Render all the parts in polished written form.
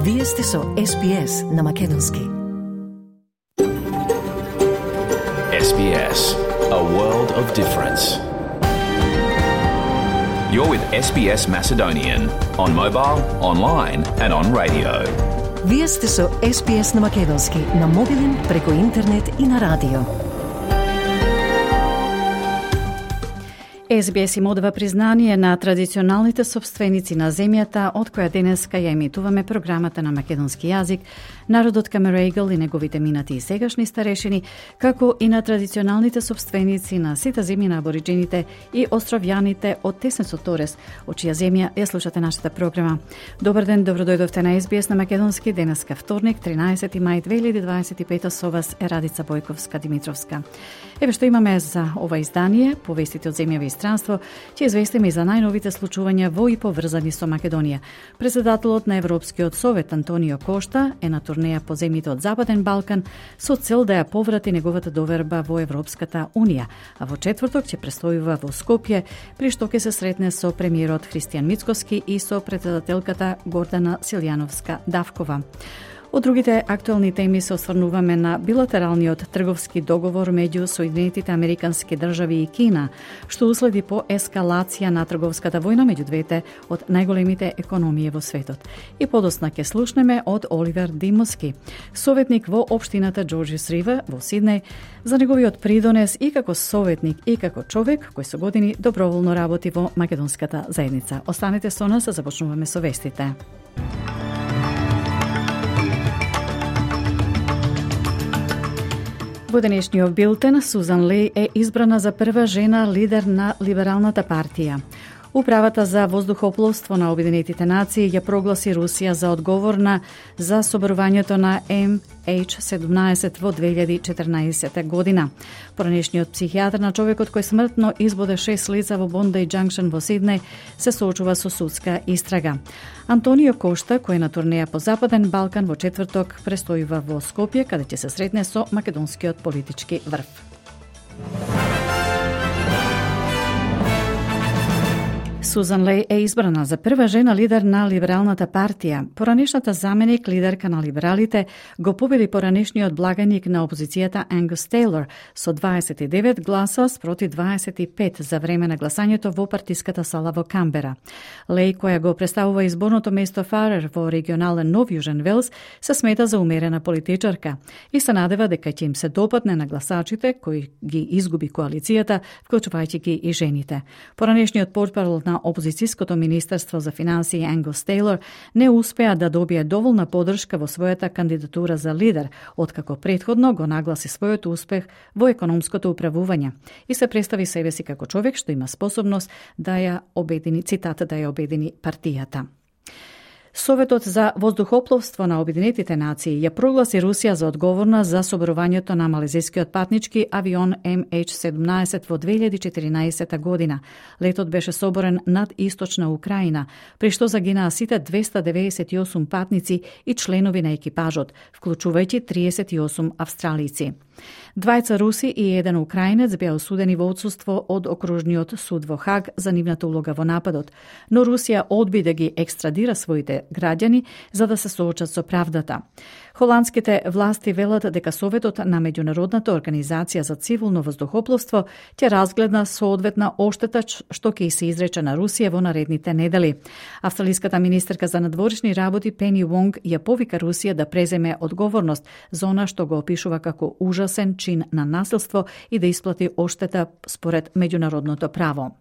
Вие сте со SBS на Македонски. SBS, a world of difference. You're with SBS Macedonian on mobile, online and on radio. Вие сте со SBS на Македонски на мобилен, преку интернет и на радио. SBS им одава признание на традиционалните собственици на земјата, од која денеска ја емитуваме програмата на македонски јазик, народот Камерејгл и неговите минати и сегашни старешини, како и на традиционалните собственици на сите земји на абориджините и островјаните од Теснецот Торес, од чија земја ја слушате нашата програма. Добар ден, добродојдовте на SBS на Македонски, денеска вторник, 13 мај 2025, со вас е Радица Бојковска-Димитровска. Еве што имаме за ова издание, повестите од земјава и странство, ќе известиме и за најновите случувања во и поврзани со Македонија. Председателот на Европскиот совет Антонио Кошта е на турнеја по земјите од Западен Балкан со цел да ја поврати неговата доверба во Европската Унија, а во четврток ќе престојува во Скопје, при што ќе се сретне со премиерот Христијан Мицкоски и со председателката Гордана Силјановска-Давкова. Од другите актуелни теми се осврнуваме на билатералниот трговски договор меѓу Соединетите Американски држави и Кина, што уследи по ескалација на трговската војна меѓу двете од најголемите економии во светот. И подосна ќе слушнеме од Оливер Димоски, советник во општината Джорџис Ривер во Сиднеј, за неговиот придонес и како советник и како човек кој со години доброволно работи во македонската заедница. Останете со нас, започнуваме со вестите. Во денешниот билтен, Сузан Леј е избрана за прва жена лидер на Либералната партија. Управата за воздухопловство на Обединетите нации ја прогласи Русија за одговорна за соборувањето на MH17 во 2014 година. Поранешниот психијатар на човекот кој смртно избоде 6 лица во Бондај Џанкшн во Сиднеј се соочува со судска истрага. Антонио Кошта, кој е на турнеја по Западен Балкан, во четврток престојува во Скопје, каде ќе се сретне со македонскиот политички врв. Сузан Леј е избрана за прва жена лидер на Либералната партија. Поранешната заменик лидерка на либералите го победи поранешниот благаник на опозицијата Ангус Тейлор со 29 гласа спроти 25 за време на гласањето во партиската сала во Камбера. Леј, која го представува изборното место Фарер во регионален Нов Јужен Велс, се смета за умерена политичарка и се надева дека ќе им се допадне на гласачите кои ги изгуби коалицијата, вклучувајќи ги и жените. Поранешниот портпарол на опозицијското министерство за финансии Ангус Тейлор не успеа да добие доволна поддршка во својата кандидатура за лидер, откако претходно го нагласи својот успех во економското управување и се представи себе си како човек што има способност да ја обедини, цитата, да ја обедини партијата. Советот за воздухопловство на Обединетите нации ја прогласи Русија за одговорна за соборувањето на малезискиот патнички авион MH17 во 2014 година. Летот беше соборен над источна Украина, при што загинаа сите 298 патници и членови на екипажот, вклучувајќи 38 австралици. Двајца руси и еден украинец беа осудени во отсуство од окружниот суд во Хаг за нивната улога во нападот, но Русија одби да ги екстрадира своите граѓани за да се соочат со правдата. Холандските власти велат дека Советот на Меѓународната организација за цивилно воздухопловство ќе разгледа соодветна оштета што ќе се изрече на Русија во наредните недели. Австралиската министерка за надворешни работи Пени Вонг ја повика Русија да преземе одговорност за она што го опишува како ужасен чин на насилство и да исплати оштета според меѓународното право.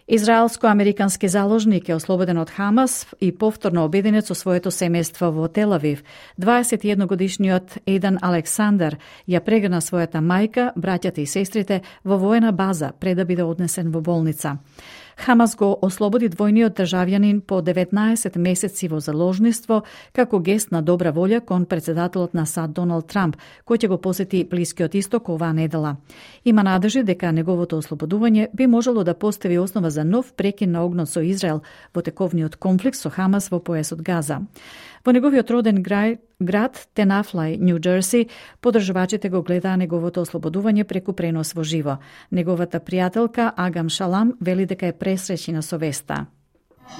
Израелско-американски заложник е ослободен од Хамас и повторно обединет со своето семејство во Тел Авив. 21-годишниот Ејдан Александар ја прегна својата мајка, браќата и сестрите во воена база пред да биде однесен во болница. Хамас го ослободи двојниот државјанин по 19 месеци во заложниство како гест на добра волја кон председателот на САД Доналд Трамп, кој ќе го посети Блискиот исток оваа недела. Има надежи дека неговото ослободување би можело да постави основа за нов прекин на огнот со Израел во тековниот конфликт со Хамас во појасот Газа. Во неговиот роден град Тенафлај, Њу Џерси, поддржувачите го гледаа неговото ослободување преку пренос во живо. Неговата пријателка Агам Шалам вели дека е пресреќена со веста.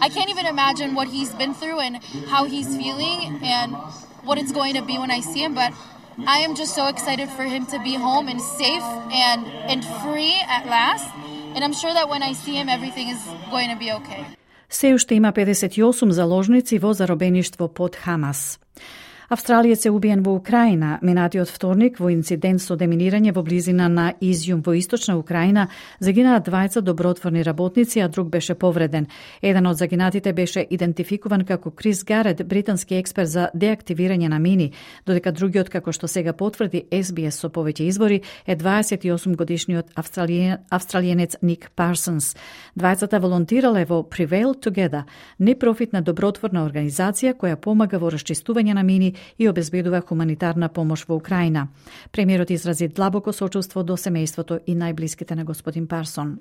I can't even imagine what he's been through and how he's feeling and what it's going to be when I see him, but I am just so excited for him to be home and safe and free at last. And I'm sure that when I see him, everything is going to be okay. Се уште има 58 заложници во заробеништво под Хамас. Австралиец е убиен во Украина минатиот вторник во инцидент со деминирање во близина на Изјум во источна Украина. Загинаа двајца добротворни работници, а друг беше повреден. Еден од загинатите беше идентификуван како Крис Гарет, британски експерт за деактивирање на мини, додека другиот, како што сега потврди SBS со повеќе извори, е 28 годишниот австралиенец Ник Парсонс. Двајцата волонтирале во Prevail Together, непрофитна добротворна организација која помага во расчистување на мини и обезбедува хуманитарна помош во Украина. Премиерот изрази длабоко сочувство до семејството и најблиските на господин Парсон.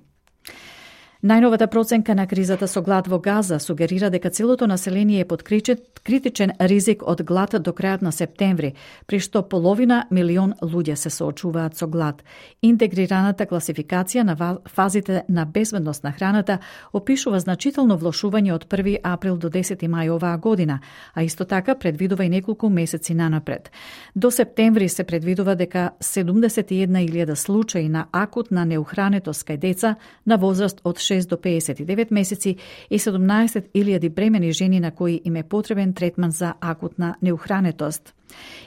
Најновата проценка на кризата со глад во Газа сугерира дека целото население е под критичен ризик од глад до крајот на септември, при што половина милион луѓе се соочуваат со глад. Интегрираната класификација на фазите на безбедност на храната опишува значително влошување од 1 април до 10 мај оваа година, а исто така предвидува и неколку месеци нанапред. До септември се предвидува дека 71.000 случаи на акутна неухранетост кај деца на возраст од 6 до 59 месеци и 17.000 бремени жени на кои им е потребен третман за акутна неухранетост.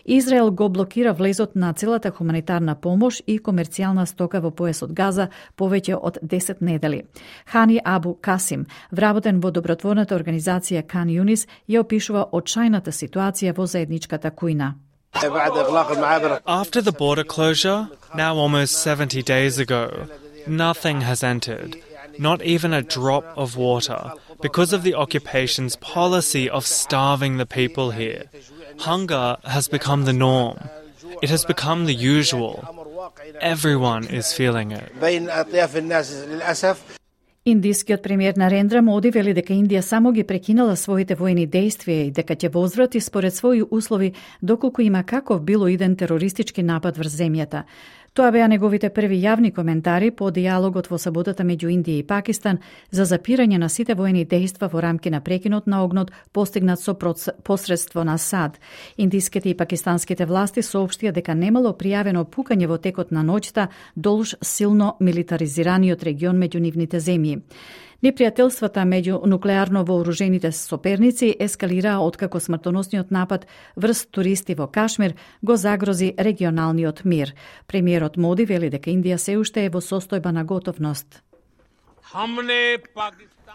Израел го блокира влезот на целата хуманитарна помош и комерцијална стока во појасот Газа повеќе од 10 недели. Хани Абу Касим, вработен во добротворната организација Кан Юнис, ја опишува очајната ситуација во заедничката кујна. After the border closure, now almost 70 days ago, nothing has entered. Not even a drop of water, because of the occupation's policy of starving the people here. Hunger has become the norm. It has become the usual. Everyone is feeling it. Индискиот премиер Нарендра Моди вели дека Индија само ги прекинала своите војни дејствија и дека ќе возврати според своји услови доколку има каков било иден терористички напад врз земјата. Тоа беа неговите први јавни коментари по диалогот во саботата меѓу Индија и Пакистан за запирање на сите војни дејства во рамки на прекинот на огнот постигнат со посредство на САД. Индиските и пакистанските власти соопштија дека немало пријавено пукање во текот на ноќта долж силно милитаризираниот регион меѓу нивните земји. Непријателствата меѓу нуклеарно вооружените соперници ескалираа откако смртоносниот напад врз туристи во Кашмир го загрози регионалниот мир. Премиерот Моди вели дека Индија се уште е во состојба на готовност.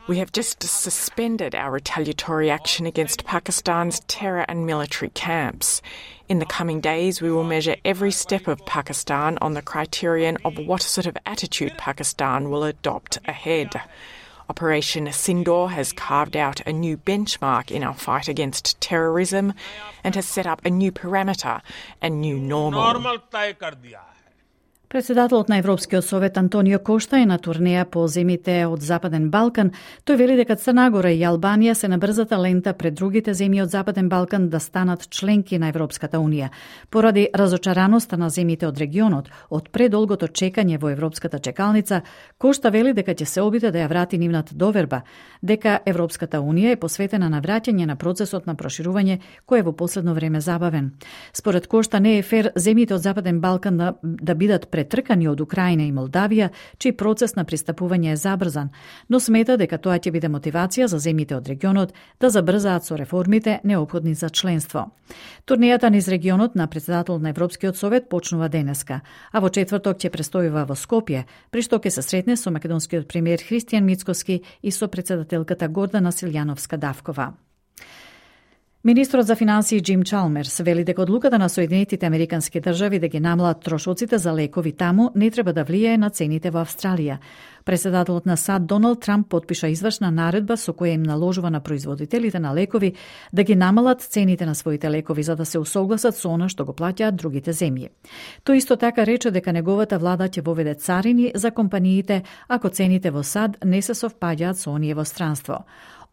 We have just suspended our retaliatory action against Pakistan's terror and military camps. In the coming days, we will measure every step of Pakistan on the criterion of what sort of attitude Pakistan will adopt ahead. Operation Sindoor has carved out a new benchmark in our fight against terrorism and has set up a new parameter, a new normal. Председателот на Европскиот совет Антонио Кошта е на турнеја по земјите од Западен Балкан. Тој вели дека Црна Гора и Албанија се на брзата лента пред другите земји од Западен Балкан да станат членки на Европската унија. Поради разочараноста на земјите од регионот од предолгото чекање во европската чекалница, Кошта вели дека ќе се обиде да ја врати нивната доверба, дека Европската унија е посветена на враќање на процесот на проширување кој е во последно време забавен. Според Кошта не е фер земјите од Западен Балкан да бидат претркани од Украина и Молдавија, чиј процес на пристапување е забрзан, но смета дека тоа ќе биде мотивација за земјите од регионот да забрзаат со реформите неопходни за членство. Турнијата низ регионот на председателот на Европскиот совет почнува денеска, а во четврток ќе престојува во Скопје, при што ќе се сретне со македонскиот премиер Христијан Мицкоски и со председателката Гордана Силјановска-Давкова. Министрот за финансии Джим Чалмерс вели дека одлуката на Соединетите Американски држави да ги намалат трошоците за лекови таму не треба да влијае на цените во Австралија. Председателот на САД Доналд Трамп потпиша извршна наредба со која им наложува на производителите на лекови да ги намалат цените на своите лекови за да се усогласат со она што го плаќаат другите земји. Тој исто така рече дека неговата влада ќе воведе царини за компаниите ако цените во САД не се совпаѓаат со оние во странство.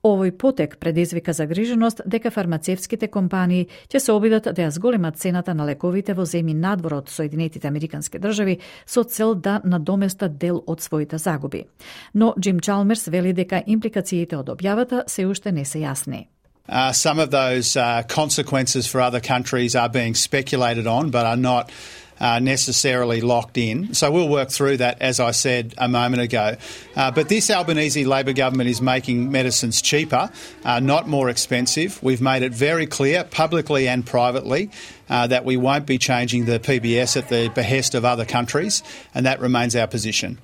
Овој потек предизвика загриженост дека фармацевските компании ќе се обидат да ја зголемат цената на лековите во земји надвор од Соединетите Американски држави со цел да надоместат дел од своите загуби. Но Джим Чалмерс вели дека импликациите од објавата се уште не се јасни. Some of those consequences for other countries are being speculated on, but are not necessarily locked in. So we'll work through that, as I said a moment ago. But this Albanese Labor government is making medicines cheaper, not more expensive. We've made it very clear, publicly and privately, that we won't be changing the PBS at the behest of other countries, and that remains our position.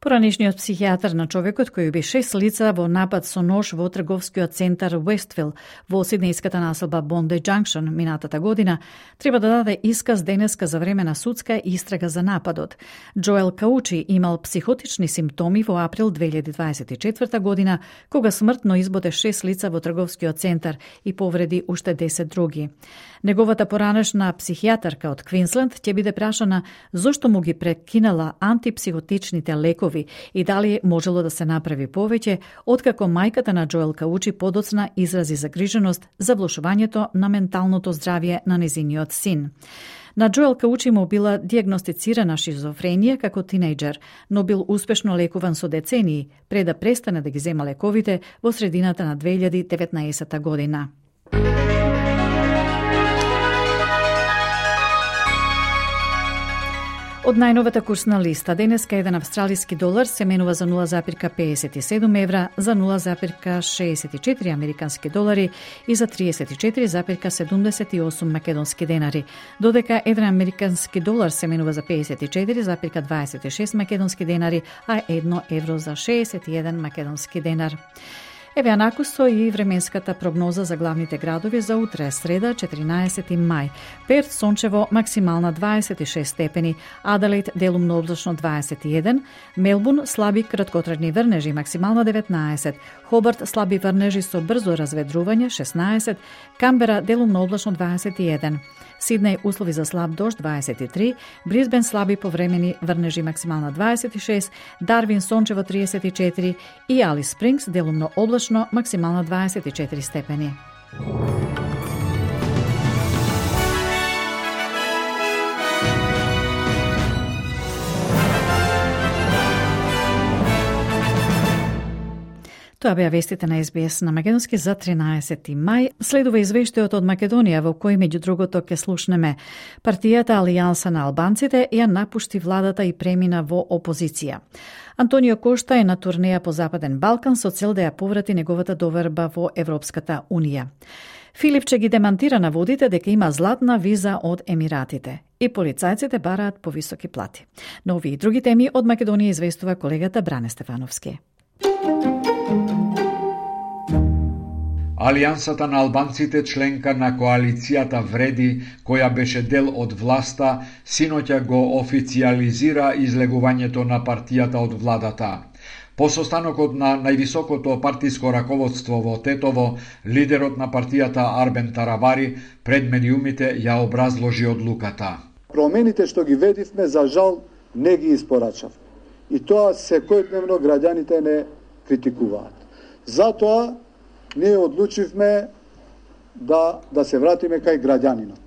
Поранешниот психијатар на човекот кој уби 6 лица во напад со нож во трговскиот центар Westville во сиднејската населба Bondi Junction минатата година треба да даде исказ денеска за време на судска истрага за нападот. Джоел Каучи имал психотични симптоми во април 2024 година, кога смртно избоде 6 лица во трговскиот центар и повреди уште 10 други. Неговата поранешна психијатарка од Квинсленд ќе биде прашана зошто му ги прекинала антипсихотичните лекови и дали можело да се направи повеќе, откако мајката на Джоел Каучи подоцна изрази загриженост за влошувањето на менталното здравје на незиниот син. На Джоел Каучи му била диагностицирана шизофренија како тинејџер, но бил успешно лекуван со децении пред да престане да ги зема лековите во средината на 2019 година. Од најновата курсна листа, денеска еден австралиски долар се менува за 0,57 евра, за 0,64 американски долари и за 34,78 македонски денари, додека еден американски долар се менува за 54,26 македонски денари, а 1 евро за 61 македонски денар. Еве анакусто и временската прогноза за главните градови за утре, среда, 14 мај. Перт сончево, максимална 26 степени, Аделаид делумно облачно 21, Мелбурн слаби краткотрајни врнежи, максимална 19, Хобарт слаби врнежи со брзо разведрување 16, Камбера делумно облачно 21, Сиднеј услови за слаб дожд 23, Брисбен слаби повремени врнежи максимална 26, Дарвин сончево 34 и Алис Спрингс делумно облачно максимална 24 степени. Тоа беа вестите на СБС на македонски за 13 мај. Следува извештајот од Македонија во кој меѓу другото ќе слушнеме партијата Алијанса на албанците ја напушти владата и премина во опозиција. Антонио Кошта е на турнеја по Западен Балкан со цел да ја поврати неговата доверба во Европската Унија. Филипче ги демантира наводите дека има златна виза од Емиратите и полицајците бараат повисоки плати. Но овие и други теми од Македонија известува колегата Бране Стефановски. Алијансата на албанците, членка на коалицијата Вреди, која беше дел од власта, синоќа го официализира излегувањето на партијата од владата. По состанокот на највисокото партиско раководство во Тетово, лидерот на партијата Арбен Таравари пред медиумите ја образложи одлуката. Промените што ги ведивме, за жал, не ги испорачавме. И тоа секојдневно граѓаните не критикуваат. Затоа ние одлучивме да се вратиме кај граѓанинот.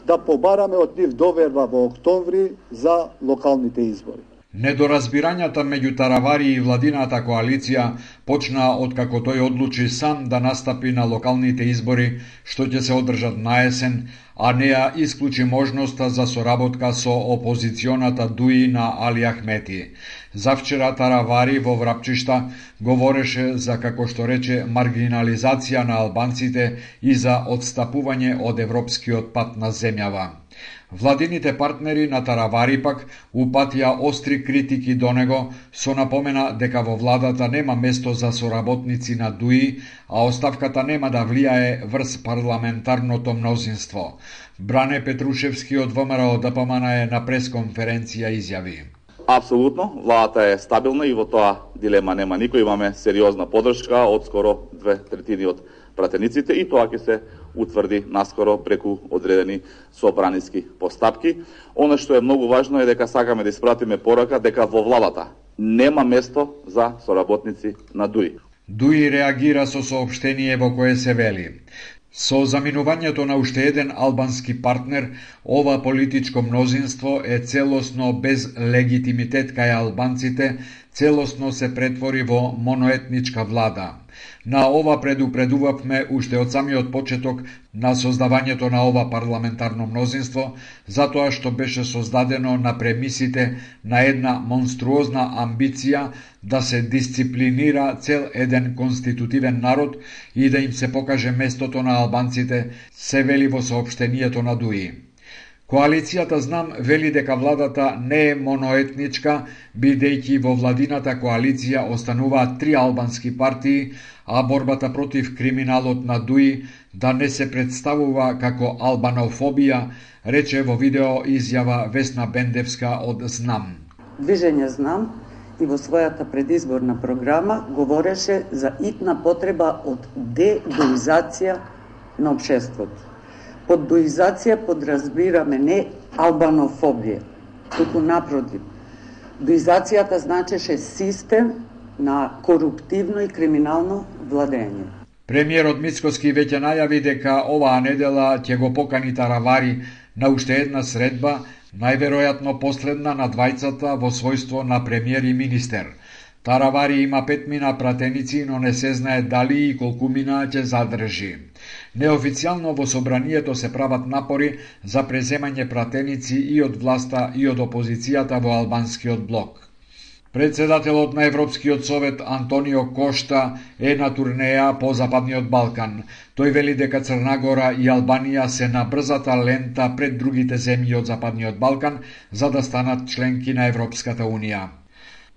Да побараме од нив доверба во октомври за локалните избори. Недоразбирањата меѓу Таравари и владината коалиција почна откако тој одлучи сам да настапи на локалните избори што ќе се одржат на есен, а не ја исклучи можноста за соработка со опозиционата ДУИ на Али Ахмети. Завчера Таравари во Врапчишта говореше за, како што рече, маргинализација на албанците и за одстапување од европскиот пат на земјава. Владините партнери на Таравари пак упатија остри критики до него, со напомена дека во владата нема место за соработници на ДУИ, а оставката нема да влијае врз парламентарното мнозинство. Бране Петрушевски од ВМРО ДПМН е на пресконференција изјави. Апсолутно, владата е стабилна и во тоа дилема нема никој. Имаме сериозна поддршка од скоро 2/3 од пратениците и тоа ќе се утврди наскоро преку одредени собраниски постапки. Оно што е многу важно е дека сакаме да испратиме порака дека во владата нема место за соработници на ДУИ. Дуи реагира со соопштение во кое се вели: со заминувањето на уште еден албански партнер, ова политичко мнозинство е целосно без легитимитет кај албанците, целосно се претвори во моноетничка влада. На ова предупредувавме уште од самиот почеток на создавањето на ова парламентарно мнозинство, затоа што беше создадено на премисите на една монструозна амбиција да се дисциплинира цел еден конститутивен народ и да им се покаже местото на албанците, се вели во соопштението на ДУИ. Коалицијата Знам вели дека владата не е моноетничка, бидејќи во владината коалиција остануваат 3 албански партии, а борбата против криминалот на ДУИ да не се представува како албанофобија, рече во видео изјава Весна Бендевска од Знам. Движење Знам и во својата предизборна програма говореше за итна потреба од дедуизација на општеството. Под дуизација подразбираме не албанофобија, туку напротив. Дуизацијата значеше систем на коруптивно и криминално владење. Премиерот Мицкоски веќе најави дека оваа недела ќе го покани Таравари на уште една средба, најверојатно последна на двајцата во својство на премиер и министер. Таравари има 5 мина пратеници, но не се знае дали и колку мина ќе задржи. Неофицијално во собранието се прават напори за преземање пратеници и од власта и од опозицијата во албанскиот блок. Председателот на Европскиот совет Антонио Кошта е на турнеја по Западниот Балкан. Тој вели дека Црна Гора и Албанија се на брзата лента пред другите земји од Западниот Балкан за да станат членки на Европската Унија.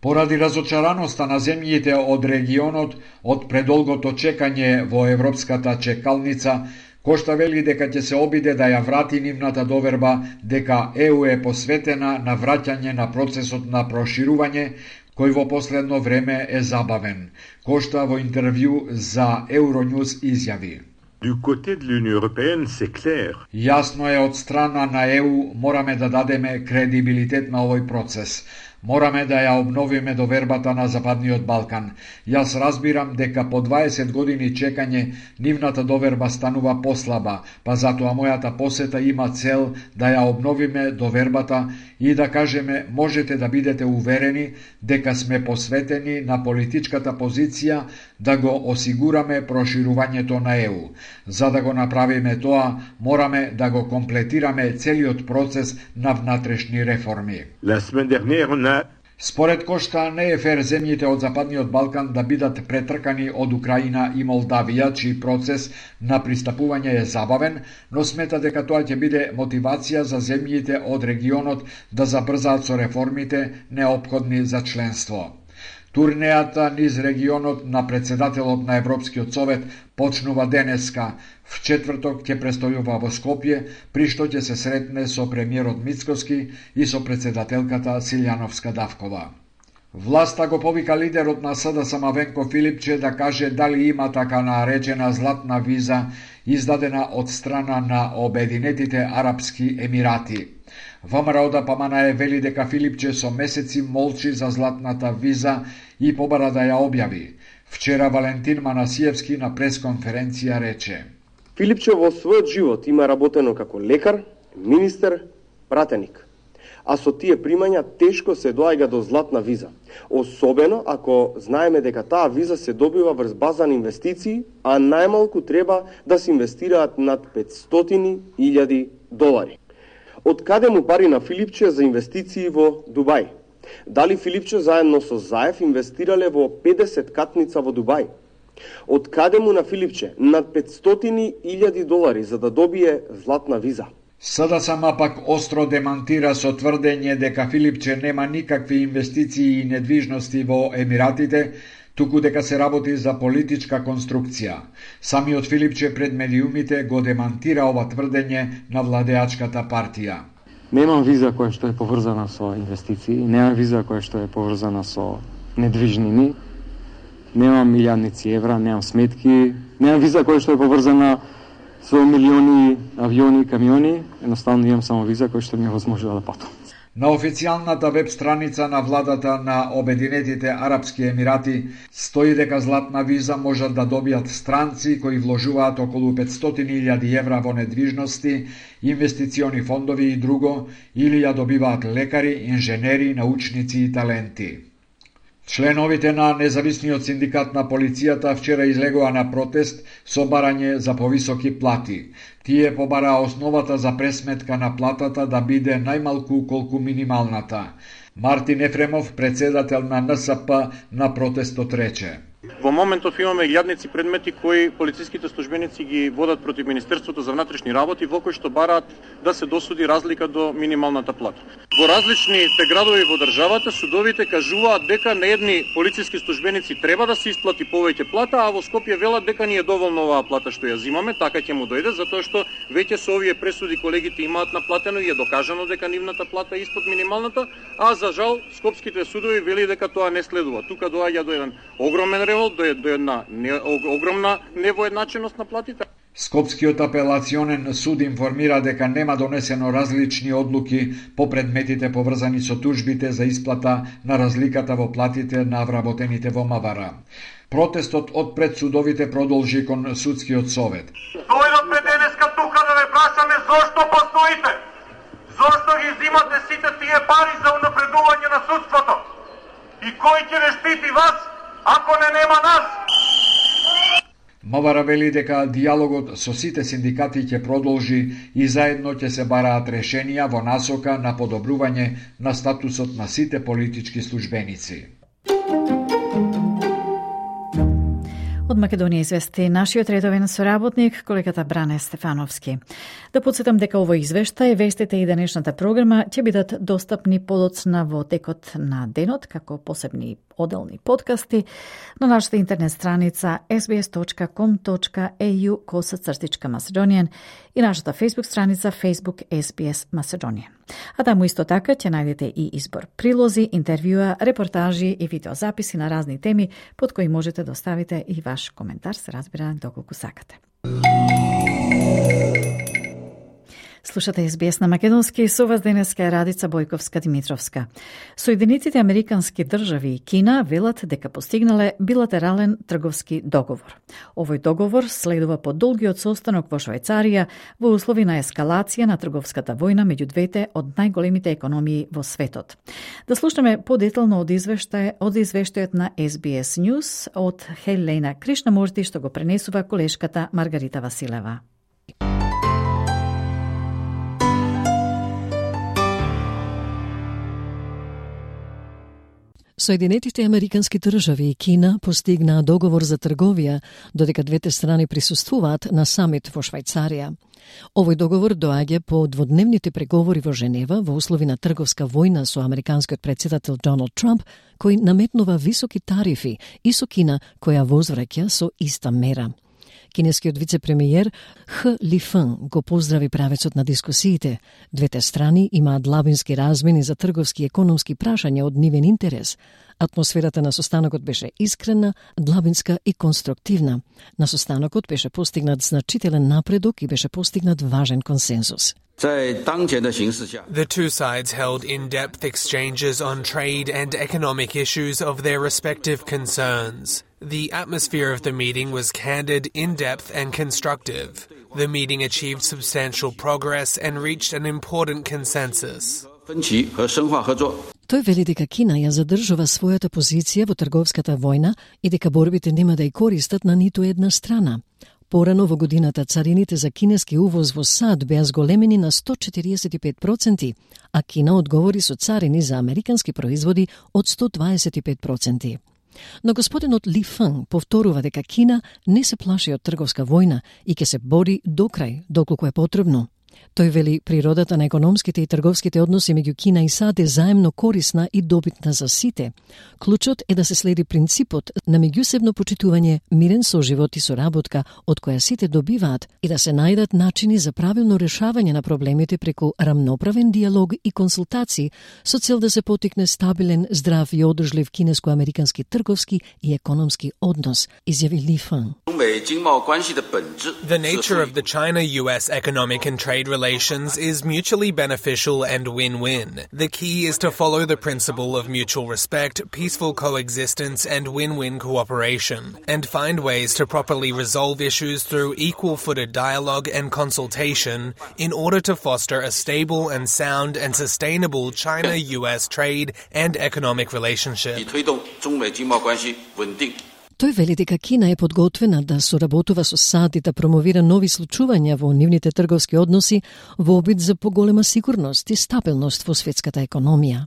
Поради разочараноста на земјите од регионот од предолгото чекање во европската чекалница, Кошта вели дека ќе се обиде да ја врати нивната доверба дека ЕУ е посветена на враќање на процесот на проширување, кој во последно време е забавен. Кошта во интервју за Euronews изјави: Du côté de l'Union européenne, c'est clair. Јасно е од страна на ЕУ мораме да дадеме кредибилитет на овој процес. Мораме да ја обновиме довербата на Западниот Балкан. Јас разбирам дека по 20 години чекање нивната доверба станува послаба, па затоа мојата посета има цел да ја обновиме довербата и да кажеме можете да бидете уверени дека сме посветени на политичката позиција да го осигураме проширувањето на ЕУ. За да го направиме тоа, мораме да го комплетираме целиот процес на внатрешни реформи. La semaine dernière, Според Кошта не е фер земјите од Западниот Балкан да бидат претркани од Украина и Молдавија, чиј процес на пристапување е забавен, но смета дека тоа ќе биде мотивација за земјите од регионот да забрзаат со реформите неопходни за членство. Турнејата низ регионот на председателот на Европскиот совет почнува денеска. В четврток ќе престојува во Скопје, при што ќе се сретне со премиерот Мицкоски и со председателката Силјановска-Давкова. Власта го повика лидерот на СДСМ Венко Филипче да каже дали има така наречена златна виза издадена од страна на Обединетите Арапски Емирати. ВМРО ДПМН вели дека Филипче со месеци молчи за златната виза и побара да ја објави. Вчера Валентин Манасиевски на пресконференција рече: Филипче во својот живот има работено како лекар, министер, пратеник. А со тие примања тешко се доаѓа до златна виза. Особено ако знаеме дека таа виза се добива врз база на инвестиции, а најмалку треба да се инвестираат над $500,000. Од каде му пари на Филипче за инвестиции во Дубај? Дали Филипче заедно со Заев инвестирале во 50 катница во Дубај? Од каде му на Филипче над $500,000 за да добие златна виза? СДСМ пак остро демантира со тврдење дека Филипче нема никакви инвестиции и недвижности во Емиратите, туку дека се работи за политичка конструкција. Самиот Филипче пред медиумите го демантира ова тврдење на владеачката партија. Немам виза која што е поврзана со инвестиции, немам виза која што е поврзана со недвижнини, немам милијадници евра, немам сметки, немам виза која што е поврзана со милиони авиони и камиони, едноставно имам само виза која што ми е возможила да патам. На официјалната веб страница на владата на Обединетите Арапски Емирати стои дека златна виза можат да добијат странци кои вложуваат околу 500.000 евра во недвижности, инвестициони фондови и друго, или ја добиваат лекари, инженери, научници и таленти. Членовите на независниот синдикат на полицијата вчера излегоа на протест со барање за повисоки плати. Тие побараа основата за пресметка на платата да биде најмалку колку минималната. Мартин Ефремов, председател на НСП, на протестот рече: Во моментов имаме илјадници предмети кои полициските службеници ги водат против Министерството за внатрешни работи, во кои што бараат да се досуди разлика до минималната плата. Во различните градови во државата судовите кажуваат дека на едни полициски службеници треба да се исплати повеќе плата, а во Скопје велат дека ни е доволно оваа плата што ја зимаме, така ќе му дојде, затоа што веќе со овие пресуди колегите имаат наплатено и е докажано дека нивната плата е испод минималната, а за жал скопските судови вели дека тоа не следува. Тука доаѓа до еден огромен револт, до една огромна невоедначеност на платите. Скопскиот апелационен суд информира дека нема донесено различни одлуки по предметите поврзани со тужбите за исплата на разликата во платите на вработените во МВР. Протестот од пред судовите продолжи кон судскиот совет. Дојдовме денеска тука да ве прашаме зошто постоите? Зошто ги зимате сите тие пари за унапредување на судството? И кој ќе ве штити вас, ако нема нас? МВР вели дека диалогот со сите синдикати ќе продолжи и заедно ќе се бараат решенија во насока на подобрување на статусот на сите политички службеници. Од Македонија извести нашиот редовен соработник, колегата Бране Стефановски. Да подсетам дека овој извештај, вестите и денешната програма ќе бидат достапни подоцна во текот на денот, како посебни оделни подкасти на нашата интернет страница sbs.com.au/Macedonian и нашата Facebook страница Facebook SBS Macedonian. А таму исто така ќе најдете и избор прилози, интервјуа, репортажи и видеозаписи на разни теми под кои можете да оставите и ваш коментар, се разбира, доколку сакате. Слушате SBS на македонски, со вас денеска е Радица Бојковска-Димитровска. Соединетите американски држави и Кина велат дека постигнале билатерален трговски договор. Овој договор следува по долгиот состанок во Швајцарија во услови на ескалација на трговската војна меѓу двете од најголемите економии во светот. Да слушаме подетално од извештајот на SBS News од Хелена Кришнамурти, што го пренесува колешката Маргарита Василева. Соединетите американски држави и Кина постигнаа договор за трговија, додека двете страни присуствуваат на самит во Швајцарија. Овој договор доаѓа по дводневните преговори во Женева во услови на трговска војна со американскиот председател Доналд Трамп, кој наметнува високи тарифи, и со Кина, која возвраќа со иста мера. Кинескиот вице-премиер Х. Лифен го поздрави правецот на дискусиите. Двете страни имаат длабински размени за трговски и економски прашања од нивен интерес. Атмосферата на состанокот беше искрена, длабинска и конструктивна. На состанокот беше постигнат значителен напредок и беше постигнат важен консензус. The two sides held in-depth exchanges on trade and economic issues of their respective concerns. The atmosphere of the meeting was candid, in-depth and constructive. The meeting achieved substantial progress and reached an important consensus. Тој вели дека Кина ја задржува својата позиција во трговската војна и дека борбите нема да ја користат на ниту една страна. Порано во годината царините за кинески увоз во САД беа зголемени на 145%, а Кина одговори со царини за американски производи од 125%. Но господинот Ли Фен повторува дека Кина не се плаши од трговска војна и ќе се бори до крај, доколку е потребно. Тој вели природата на економските и трговските односи меѓу Кина и САД е заемно корисна и добитна за сите. Клучот е да се следи принципот на меѓусебно почитување, мирен соживот и соработка од која сите добиваат и да се најдат начини за правилно решавање на проблемите преку рамноправен диалог и консултации со цел да се потикне стабилен, здрав и одржлив кинеско-американски трговски и економски однос, изјави Ли Фен. The nature of the China-US economic and trade relations is mutually beneficial and win-win. The key is to follow the principle of mutual respect, peaceful coexistence, and win-win cooperation, and find ways to properly resolve issues through equal-footed dialogue and consultation in order to foster a stable and sound and sustainable China-US trade and economic relationship. Тој вели дека Кина е подготвена да соработува со САД и да промовира нови случувања во нивните трговски односи во обид за поголема сигурност и стабилност во светската економија.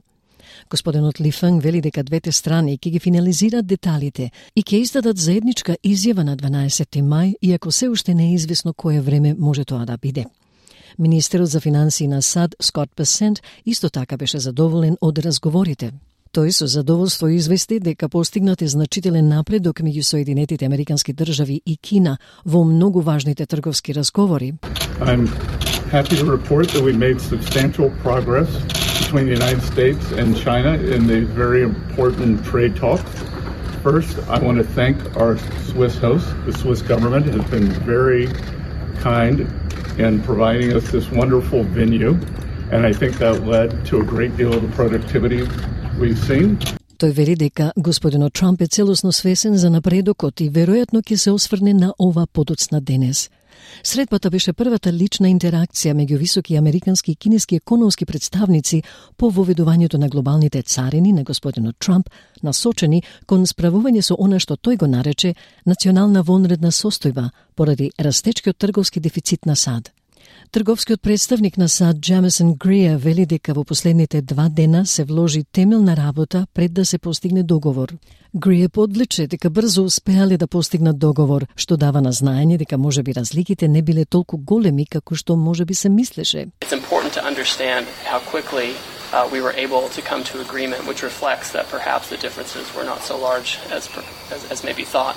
Господинот Ли Фенг вели дека двете страни ќе ги финализираат деталите и ќе издадат заедничка изјава на 12 мај, иако се уште не е известно кое време може тоа да биде. Министерот за финансии на САД, Скот Бесент, исто така беше задоволен од разговорите. Тој со задоволство извести дека постигнат е значителен напредок меѓу Соединетите Американски држави и Кина во многу важните трговски разговори. I'm happy to report that we made substantial progress between the United States and China in the very important trade talks. First, I want to thank our Swiss host. The Swiss government has been very kind in providing us this wonderful venue, and I think that led to a great deal of the productivity we've seen. Тој вели дека господинот Трамп е целосно свесен за напредокот и веројатно ќе се осврне на ова подоцна денес. Средбата беше првата лична интеракција меѓу високи американски и кинески економски представници по воведувањето на глобалните царини на господинот Трамп, насочени кон справување со она што тој го нарече национална вонредна состојба поради растечкиот трговски дефицит на САД. Трговскиот представник на САД Джемисон Гриер вели дека во последните 2 дена се вложи темелна работа пред да се постигне договор. Гриер подличе дека брзо успеале да постигнат договор, што дава на знаење дека можеби разликите не биле толку големи како што можеби се мислеше. It's important to understand how quickly we were able to come to agreement, which reflects that perhaps the differences were not so large as maybe thought.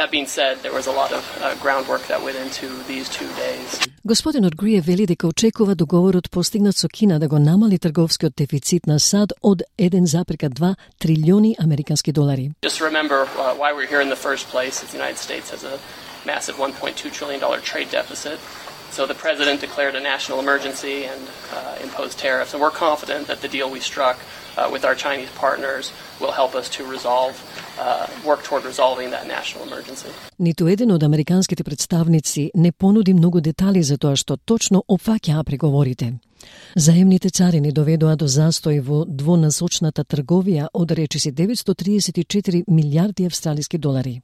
That being said, there was a lot of groundwork that went into these 2 days. Господинот Гриер вели дека очекува договорот постигнат со Кина да го намали трговскиот дефицит на САД од 1,2 трилиони американски долари. Just remember why we're here in the first place. The United States has a massive $1.2 trillion trade deficit. So the president declared a national emergency and imposed tariffs, and we're confident that the deal we struck with our Chinese partners will help us to work toward resolving that national emergency. Ниту еден од американските представници не понуди многу детали за тоа што точно опфаќаа преговорите. Заемните царини доведоа до застој во двонасочната трговија од речиси 934 милијарди австралиски долари.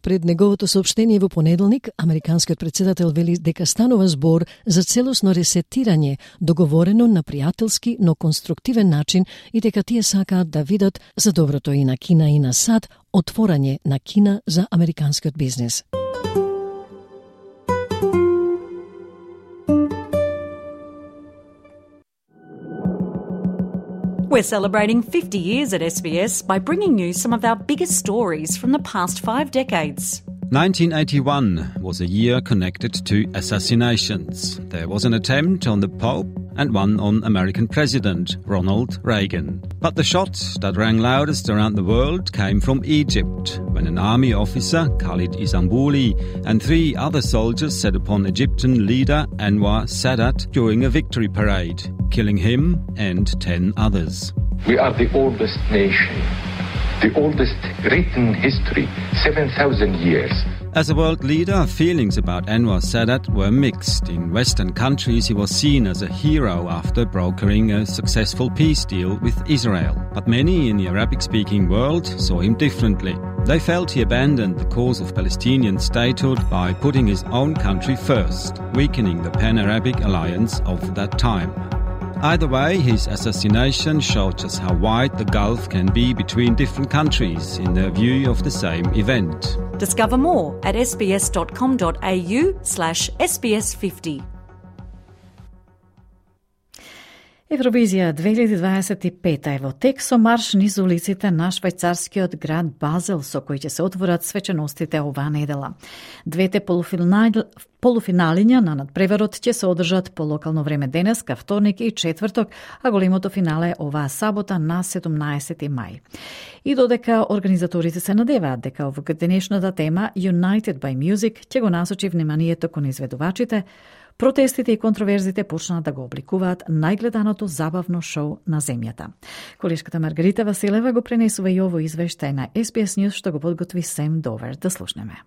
Пред неговото соопштение во понеделник, американскиот претседател вели дека станува збор за целосно ресетирање, договорено на пријателски, но конструктивен начин и дека тие сакаат да видат за доброто и на Кина и на САД отворање на Кина за американскиот бизнес. We're celebrating 50 years at SBS by bringing you some of our biggest stories from the past 5 decades. 1981 was a year connected to assassinations. There was an attempt on the Pope and one on American President Ronald Reagan. But the shot that rang loudest around the world came from Egypt, when an army officer, Khalid Isambuli, and 3 other soldiers set upon Egyptian leader Anwar Sadat during a victory parade, killing him and 10 others. We are the oldest nation, the oldest written history, 7,000 years. As a world leader, feelings about Anwar Sadat were mixed. In Western countries, he was seen as a hero after brokering a successful peace deal with Israel. But many in the Arabic-speaking world saw him differently. They felt he abandoned the cause of Palestinian statehood by putting his own country first, weakening the Pan-Arabic alliance of that time. Either way, his assassination showed us how wide the gulf can be between different countries in their view of the same event. Discover more at sbs.com.au/sbs50. Евровизија 2025 е во тек со марш низ улиците на швајцарскиот град Базел, со кој ќе се отворат свеченостите оваа недела. Двете полуфиналиња на надпреварот ќе се одржат по локално време денеска, вторник и четврток, а големото финале оваа сабота на 17 мај. И додека организаторите се надеваат дека овогодишната тема United by Music ќе го насочи вниманието кон изведувачите, Протестите и контроверзите почнаа да го обликуваат најгледаното забавно шоу на земјата. Колешката Маргарита Василева го пренесува и ово извештај на SBS News што го подготви Сем Довер. Да слушнеме.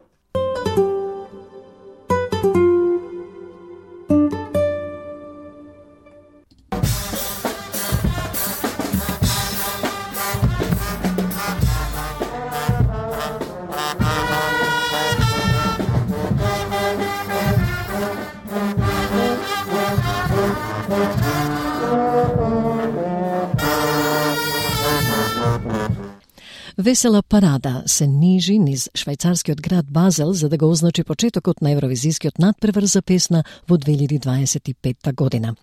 Весела парада се нижи низ швајцарскиот град Базел за да го означи почетокот на Евровизискиот надпревар за песна во 2025 година.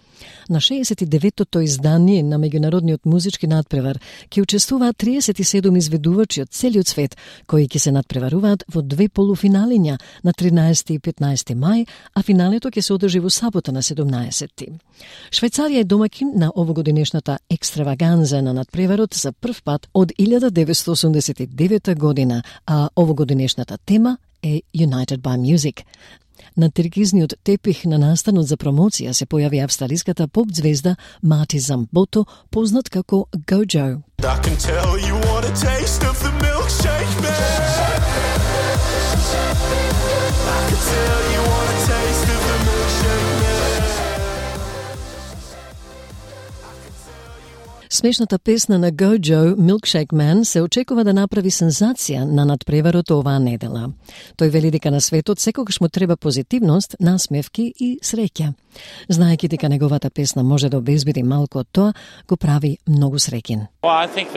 На 69-тото издание на меѓународниот музички надпревар ќе учествуваат 37 изведувачи од целиот свет, кои ќе се надпреваруваат во две полуфиналиња на 13 и 15 мај, а финалето ќе се одржи во сабота на 17. Швајцарија е домакин на овогодинешната екстраваганза на надпреварот за прв пат од 1989 година, а овогодинешната тема е United by Music. На трикизниот тепих на настанот за промоција се појави австралиската поп звезда Мати Замбото, познат како Gojo. Смешната песна на Gojo, Milkshake Man, се очекува да направи сензација на надпреварот оваа недела. Тој вели дека на светот секогаш му треба позитивност, насмевки и среќа. Знаејќи дека неговата песна може да обезбеди малку од тоа, го прави многу среќен. Well, I think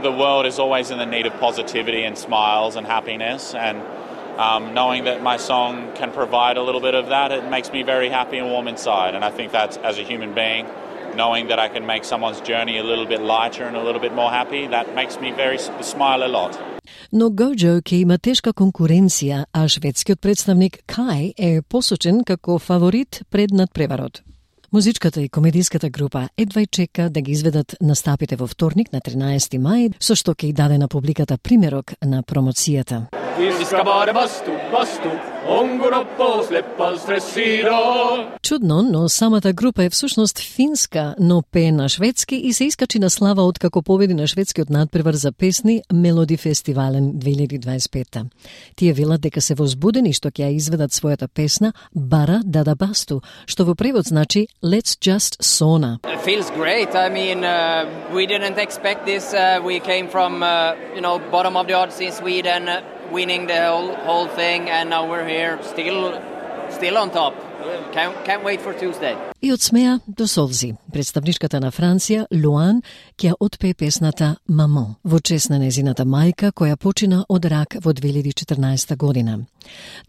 the world is always in the need of positivity and smiles and happiness, and knowing that my song can provide a little bit of that, it makes me very happy and warm inside. And I think that as a human being, knowing that I can make someone's journey a little bit lighter and a little bit more happy, that makes me smile a lot. Но Gojo ќе има тешка конкуренција, а шведскиот представник Kai е посочен како фаворит пред надпреварот. Музичката и комедиската група едва чека да ги изведат настапите во вторник на 13 мај, со што ќе даде на публиката примерок на промоцијата. Чудно, но самата група е всушност финска, но пее на шведски и се искачи на слава откако победи на шведскиот надпревар за песни Мелоди Фестивален 2025. Тие велат дека се возбудени што ќе ја изведат својата песна Бара Дада Басту, што во превод значи Let's Just Sauna. It feels great. I mean, we didn't expect this. We came from, bottom of the odds in Sweden, winning the whole thing, and now we're here, still on top. Can't wait for Tuesday. И од смеа до солзи, представничката на Франција, Луан, ќе отпее песната Мамон во чест на незината мајка која почина од рак во 2014 година.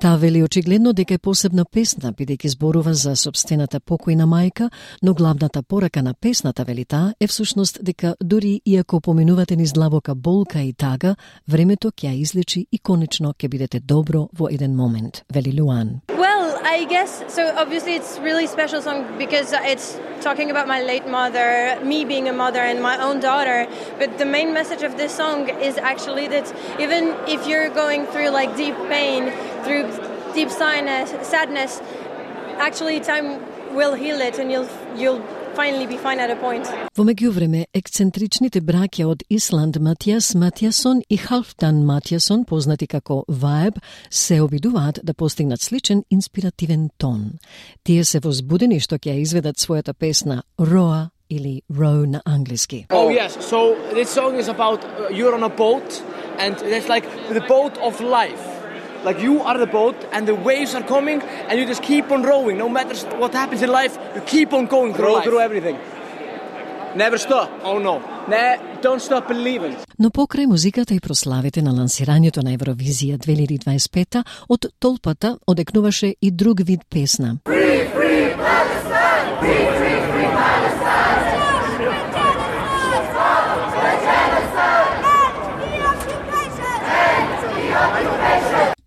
Таа вели очигледно дека е посебна песна, бидејќи зборува за сопстената покојна мајка, но главната порака на песната, вели таа, е всушност дека дури иако поминувате низ длабока болка и тага, времето ќе ја излечи и конечно ќе бидете добро во еден момент, вели Луан. I guess, so obviously it's a really special song because it's talking about my late mother, me being a mother and my own daughter, but the main message of this song is actually that even if you're going through like deep pain, through deep sadness, actually time will heal it and you'll finally be fine at a point. Во меѓувреме, ексцентричните браќа од Исланд Матијас Матијасон и Халфдан Матијасон, познати како Vibe, се обидуваат да постигнат сличен инспиративен тон. Тие се возбудени што ќе ја изведат својата песна Roa или Row на англиски. Oh yes, so this song is about you're on a boat and it's like the boat of life. Like you are the boat and the waves are coming and you just keep on rowing. No matter what happens in life, you keep on going through life. Through everything. Never stop. Oh no. Don't stop believing. Но покрај музиката и прославите на лансирањето на Евровизија 2025 од толпата одекнуваше и друг вид песна. Free, free Palestine! Free, free, free Palestine!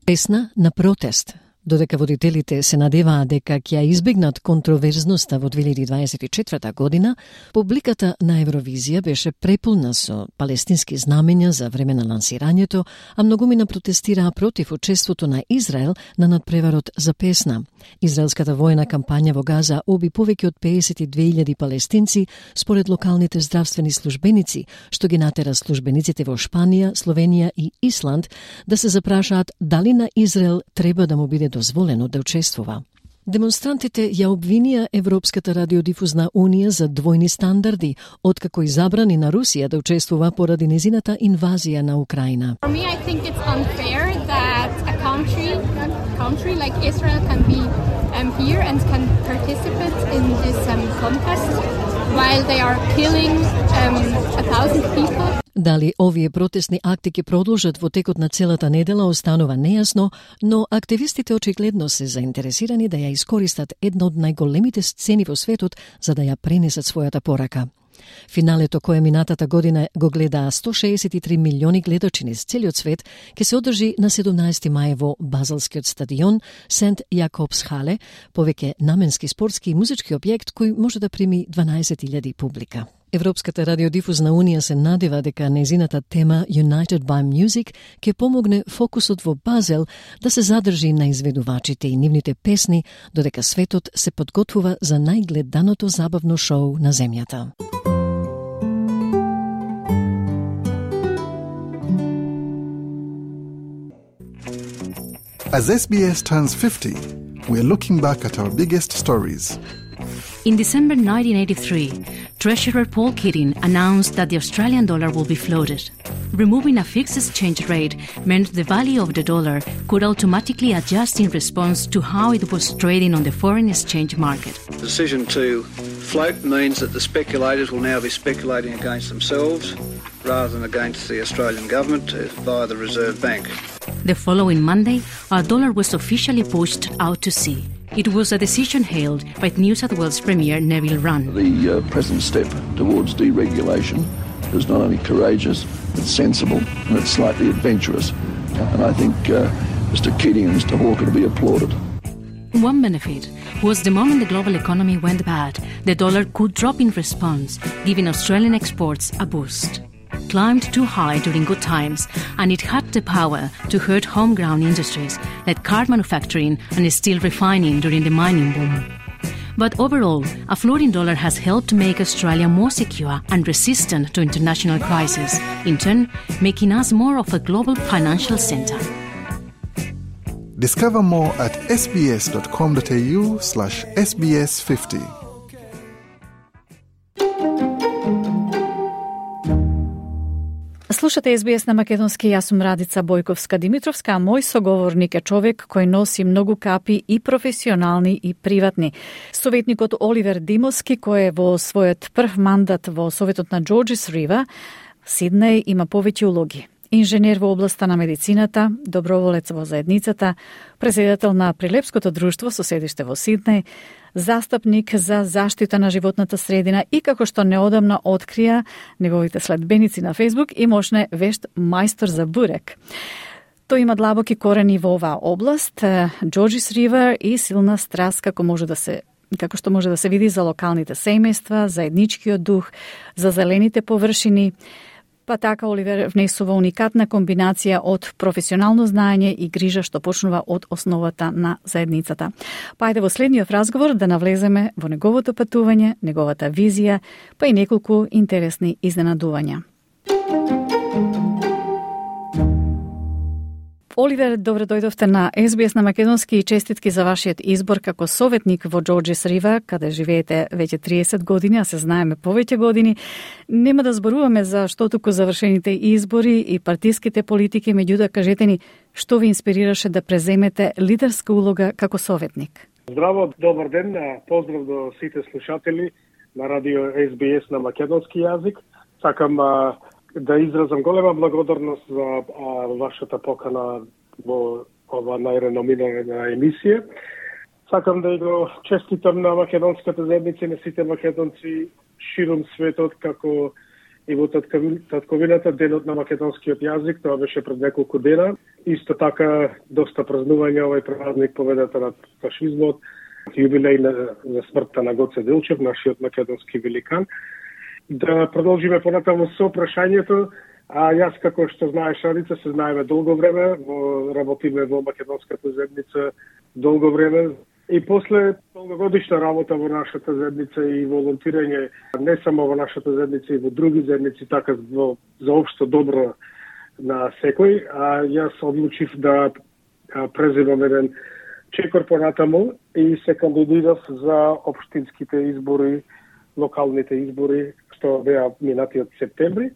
Песна на протест. Додека водителите се надеваат дека ќе избегнат контроверзноста во 2024 година, публиката на Евровизија беше преполна со палестински знамења за време на лансирањето, а многумина протестираа против учеството на Израел на надпреварот за песна. Израелската војна кампања во Газа уби повеќе од 52.000 палестинци, според локалните здравствени службеници, што ги натера службениците во Шпанија, Словенија и Исланд да се запрашаат дали на Израел треба да му биде дозволено да учествува. Демонстрантите ја обвинија Европската радиодифузна унија за двојни стандарди, откако и забрани на Русија да учествува поради незината инвазија на Украина. For me, I think it's unfair that a country like Israel can be here and can participate in this contest while they are killing 1,000 people. Дали овие протестни акти ќе продолжат во текот на целата недела останува нејасно, но активистите очигледно се заинтересирани да ја искористат една од најголемите сцени во светот за да ја пренесат својата порака. Финалето кое минатата година го гледаа 163 милиони гледачи низ целиот свет ќе се одржи на 17 мај во Базелскиот стадион Сент Јакобс Хале, повеќе наменски спортски и музички објект кој може да прими 12.000 публика. Европската радиодифузна унија се надева дека незината тема United by Music ќе помогне фокусот во Базел да се задржи на изведувачите и нивните песни, додека светот се подготвува за најгледаното забавно шоу на земјата. As SBS turns 50, we're looking back at our biggest stories. In December 1983, Treasurer Paul Keating announced that the Australian dollar will be floated. Removing a fixed exchange rate meant the value of the dollar could automatically adjust in response to how it was trading on the foreign exchange market. The decision to float means that the speculators will now be speculating against themselves rather than against the Australian government via the Reserve Bank. The following Monday, our dollar was officially pushed out to sea. It was a decision hailed by New South Wales Premier Neville Wran. The present step towards deregulation is not only courageous, it's sensible and it's slightly adventurous. And I think Mr Keating and Mr Hawke are to be applauded. One benefit was the moment the global economy went bad, the dollar could drop in response, giving Australian exports a boost. Climbed too high during good times, and it had the power to hurt homegrown industries like car manufacturing and steel refining during the mining boom. But overall, a floating dollar has helped make Australia more secure and resistant to international crises, in turn making us more of a global financial centre. Discover more at sbs.com.au/sbs50. Слушате СБС на македонски, јас сум Радица Бојковска-Димитровска, а мој соговорник е човек кој носи многу капи и професионални и приватни. Советникот Оливер Димовски, кој е во својот прв мандат во Советот на Джорџис Рива, Сиднеј има повеќе улоги. Инженер во областа на медицината, доброволец во заедницата, председател на Прилепското друштво со седиште во Сиднеј, застапник за заштита на животната средина и, како што неодамна открија неговите следбеници на Фейсбук, и мошне вешт мајстор за бурек. Тој има длабоки корени во оваа област, Джорџис Ривер и силна страст како што може да се види за локалните семејства, заедничкиот дух, за зелените површини. Па така Оливер внесува уникатна комбинација од професионално знаење и грижа што почнува од основата на заедницата. Па ајде во следниот разговор да навлеземе во неговото патување, неговата визија, па и неколку интересни изненадувања. Оливер, добро дојдовте на СБС на македонски и честитки за вашиот избор како советник во Джорџис Рива, каде живеете веќе 30 години, а се знаеме повеќе години. Нема да зборуваме за што туку завршените избори и партиските политики, меѓутоа кажете ни што ви инспирираше да преземете лидерска улога како советник. Здраво, добар ден, поздрав до сите слушатели на радио СБС на македонски јазик. Сакам да изразам голема благодарност за вашата покана во ова најреномирана емисија. Сакам да го честитам на македонската заедница и на сите македонци широм светот, како и во татковината денот на македонскиот јазик, тоа беше пред неколку дена. Исто така доста празнување овој празник победата над фашизмот, јубилеј за смртта на Гоце Делчев, нашиот македонски великан. Да продолжиме понатаму со прашањето. А јас, како што знаеш, Радица, се знаеме долго време, работиме во македонската заедница долго време. И после долгогодишна работа во нашата заедница и волонтирање, не само во нашата заедница, и во други заедници, така за општо добро на секој, а јас одлучив да преземам еден чекор понатаму и се кандидирав за општинските избори, локалните избори, што беа минатиот септември.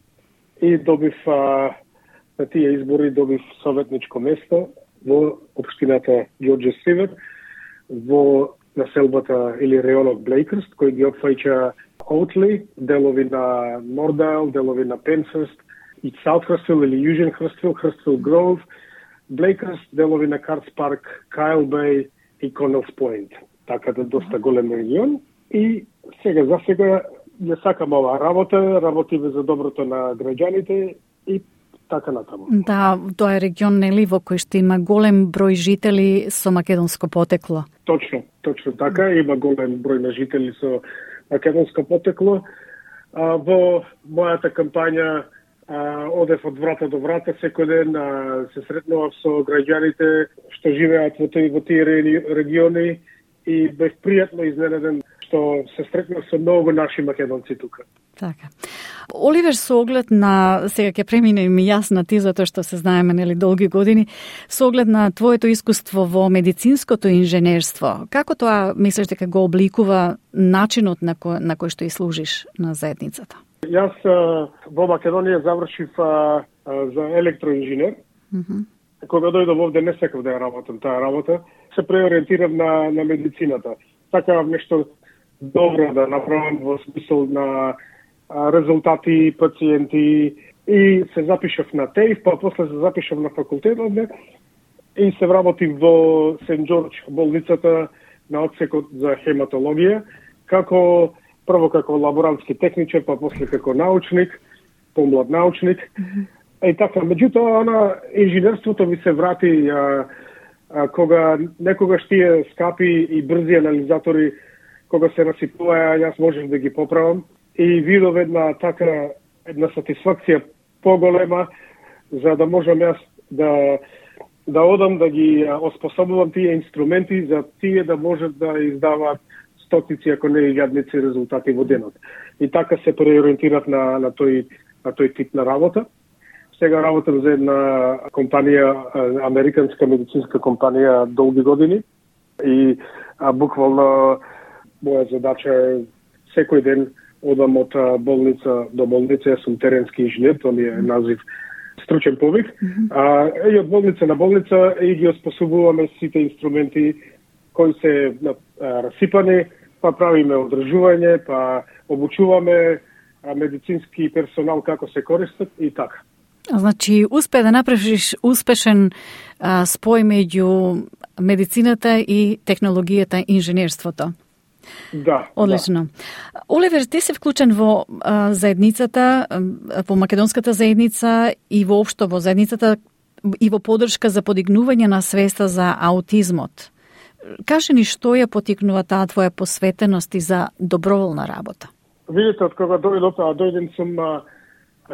И добив на тие избори добив советничко место во општината Ѓорѓе Север, во населбата или районот Блейкърст, кој ги опфаќа Оутли, делови на Нордайл, делови на Пенсърст, и Саут Хрствил или Южен Хрствил, Хрствил Гроув, Блейкърст, делови на Картс Парк, Кайл Бей и Конелс Пойнт. Така да доста голем регион. И за сега ја сакам оваа работа, работиме за доброто на граѓаните и така натаму. Да, тоа е регион, нели, во кој што има голем број жители со македонско потекло. Точно така, има голем број на жители со македонско потекло. Во мојата кампања одев од врата до врата секој ден, се сретнував со граѓаните што живеат во тие региони и бев пријатно изненаден што се сретнав со многу наши македонци тука. Така. Оливер, со оглед на, сега ќе преминем и јас на ти, затоа што се знаеме, нели, долги години, со оглед на твоето искуство во медицинското инженерство, како тоа мислиш дека го обликува начинот на кој што и служиш на заедницата? Јас во Македонија завршив за електроинженер. Кога дојдов овде не сакав да ја работам таа работа, се преориентирав на медицината. Сакав нешто добро да направам во смисол на резултати, пациенти, и се запишав на ТЕИФ, па после се запишав на факултет овде и се вработив во Сент Џорџ болницата на одсекот за хематологија, прво како лаборантски техничар, па после како научник, помлад научник. И така, меѓутоа, инженерството ми се врати кога некогаш тие скапи и брзи анализатори, кога се насипуваја, јас можев да ги поправам и видов една сатисфакција поголема, за да можам јас да одам, да ги оспособувам тие инструменти, за тие да можат да издаваат стотици, ако не илјадници резултати во денот. И така се преориентирав на тој тип на работа. Сега работам за една компанија, американска медицинска компанија, долги години и буквално моја задача е секој ден одам од болница до болница. Јас сум теренски инженер, тоа ми е назив, стручен повик. И од болница на болница и ги оспособуваме сите инструменти кои се расипани, па правиме одржување, па обучуваме медицински персонал како се користат и така. Значи, успе да направиш успешен спој меѓу медицината и технологијата, инженерството. Да. Одлично. Да. Оливер, ти се вклучен во заедницата, во македонската заедница и воопшто во заедницата и во поддршка за подигнување на свеста за аутизмот. Кажи ни што ја потикнува таа твоја посветеност и за доброволна работа? Видите, од кога дојден сум,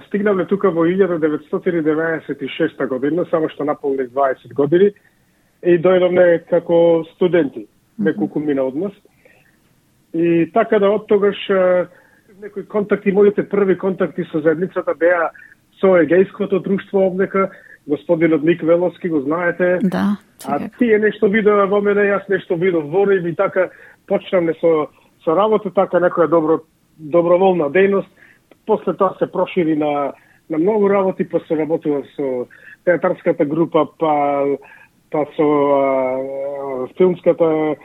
стигнавме тука во 1996 година, само што наполних 20 години, и дојдовме како студенти, неколку мина од нас. И така да од тогаш некои контакти, моите први контакти со заедницата беа со егејското друштво овдека, господинот Ник Веловски, го знаете. Да. А тие нешто видоа во мене, јас нешто видов во нив и така почнавме со работа, така некоја доброволна дејност. После тоа се прошири на многу работи, па се работува со театарската група, па со филмската,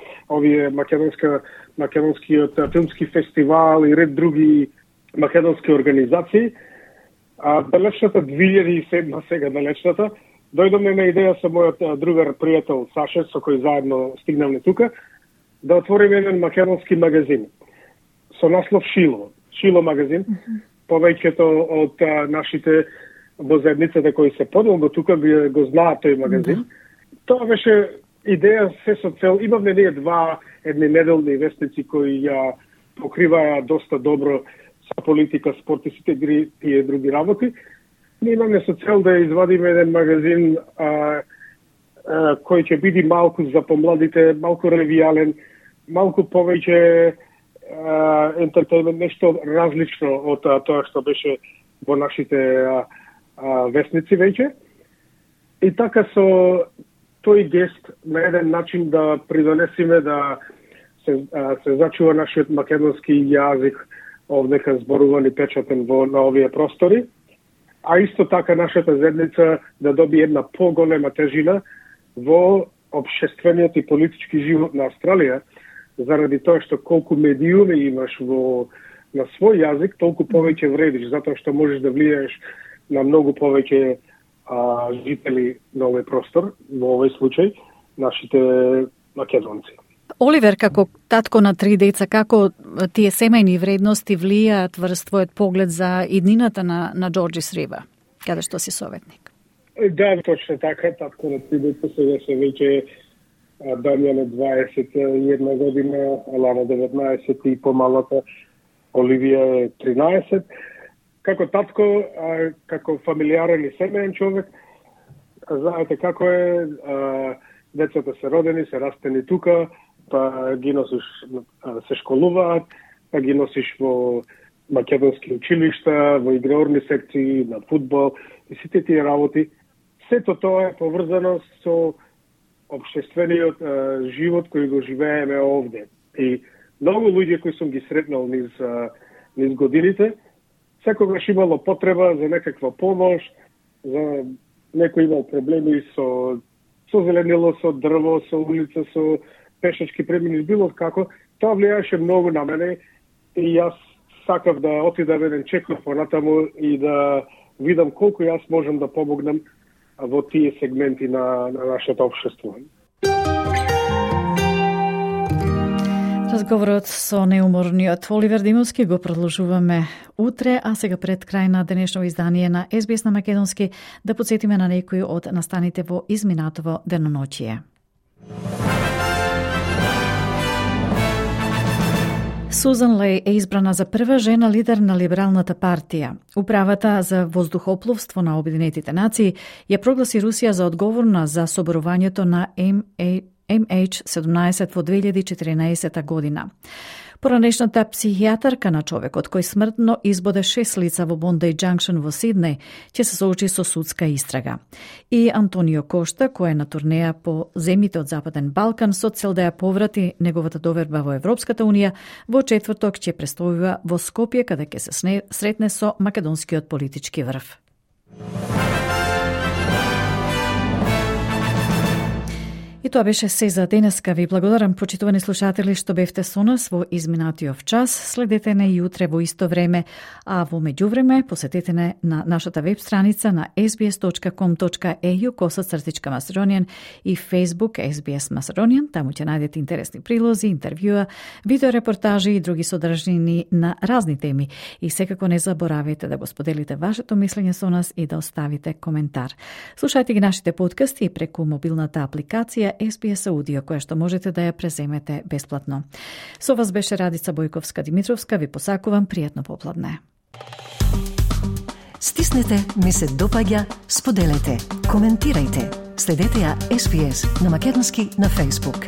македонскиот филмски фестивал и ред други македонски организации. Далечната 2007, сега далечната, дојдовме на идеја со мојот другар пријател Саше, со кој заедно стигнавме тука, да отвориме еден македонски магазин со наслов Шило магазин. повеќето од нашите во заедницата кои се подолго тука го знаат тој магазин. Тоа беше идеја се со цел. Имавме ние едни неделни вестници кои ја покриваа доста добро со политика, спорт и сите тие други работи. Ние имаме со цел да извадиме еден магазин кој ќе биде малку за помладите, малку ревијален, малку повеќе ентертеймент, нешто различно од тоа што беше во нашите вестници веќе. И така со тој гест на еден начин да придонесиме да се зачува нашиот македонски јазик овдека зборуван и печатен на овие простори, а исто така нашата заедница да добие една поголема тежина во општествениот и политички живот на Австралија, заради тоа што колку медиуми имаш на свој јазик, толку повеќе вредиш, затоа што можеш да влијаеш на многу повеќе жители на овој простор, во овој случај, нашите македонци. Оливер, како татко на 3 деца, како тие семејни вредности влијаат врз твојот поглед за иднината на Джорџис Риба, каде што си советник? Да, точно така, татко на 3 деца, сега се веќе Дамјан е 21 година, Алана 19 и помалата Оливија е 13. Како татко, како фамилиарен и семеен човек, знаете како е, децата се родени, се растени тука, па ги носиш, се школуваат, па ги носиш во македонски училишта, во играорни секции, на фудбал и сите тие работи. Сето тоа е поврзано со општествениот живот кој го живееме овде. И многу луѓе кои сум ги сретнал низ годините, секогаш имало потреба за некаква помош, за некој имал проблеми со зеленило, со дрво, со улица, со пешачки премини, било како. Тоа влијаше многу на мене и јас сакав да отидам еден чекор понатаму и да видам колку јас можам да помогнам во тие сегменти на нашето општество. Разговорот со неуморниот Оливер Димовски го продолжуваме утре, а сега пред крај на денешно издание на SBS на македонски да подсетиме на некои од настаните во изминатово деноноќие. Сузан Леј е избрана за прва жена лидер на Либералната партија. Управата за воздухопловство на Обединетите нации ја прогласи Русија за одговорна за соборувањето на MH17 во 2014 година. Поранешната психијатарка на човекот кој смртно избоде 6 лица во Бондај Джанкшн во Сиднеј ќе се соочи со судска истрага. И Антонио Кошта, кој е на турнеја по земјите од Западен Балкан со цел да ја поврати неговата доверба во Европската Унија, во четврток ќе престојува во Скопје каде ќе се сретне со македонскиот политички врв. И тоа беше се за денеска. Ви благодарам, почитувани слушатели, што бевте со нас во изминатиот час. Следете не и утре во исто време, а во меѓувреме посетете не на нашата веб страница на sbs.com.au/Macedonian и Facebook SBS Macedonian. Таму ќе најдете интересни прилози, интервјуа, видеорепортажи и други содржини на разни теми. И секако не заборавајте да го споделите вашето мислење со нас и да оставите коментар. Слушајте ги нашите подкасти преку мобилната апликација SBS Audio, која што можете да ја преземете бесплатно. Со вас беше Радица Бојковска-Димитровска. Ви посакувам пријатно попладне. Стиснете, ми се допаѓа, споделете, коментирајте. Следете ја SBS на македонски на Facebook.